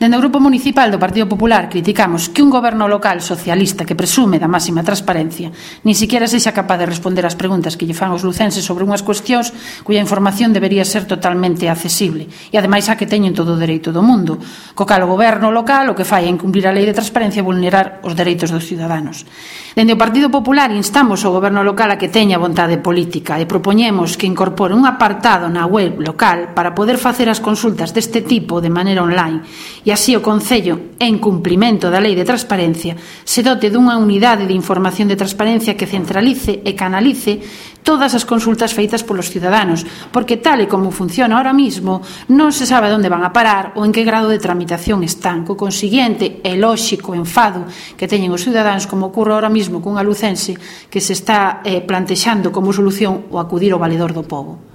Dende o Grupo Municipal do Partido Popular criticamos que un goberno local socialista que presume da máxima transparencia nin siquiera sexa capaz de responder ás preguntas que lle fan os lucenses sobre unhas cuestións cuya información debería ser totalmente accesible e ademais a que teñen todo o dereito do mundo, co cal o goberno local o que fai é incumprir a lei de transparencia e vulnerar os dereitos dos ciudadanos. Dende o Partido Popular instamos ao goberno local a que teña vontade política e propoñemos que incorpore un apartado na web local para poder facer as consultas deste tipo de maneira online e así o Concello, en cumprimento da Lei de Transparencia, se dote dunha unidade de información de transparencia que centralice e canalice todas as consultas feitas polos ciudadanos, porque tal e como funciona ahora mismo non se sabe onde van a parar ou en que grado de tramitación están, co consiguiente e lóxico enfado que teñen os ciudadanos, como ocorre ahora mismo cunha lucense que se está plantexando como solución o acudir ao valedor do pobo.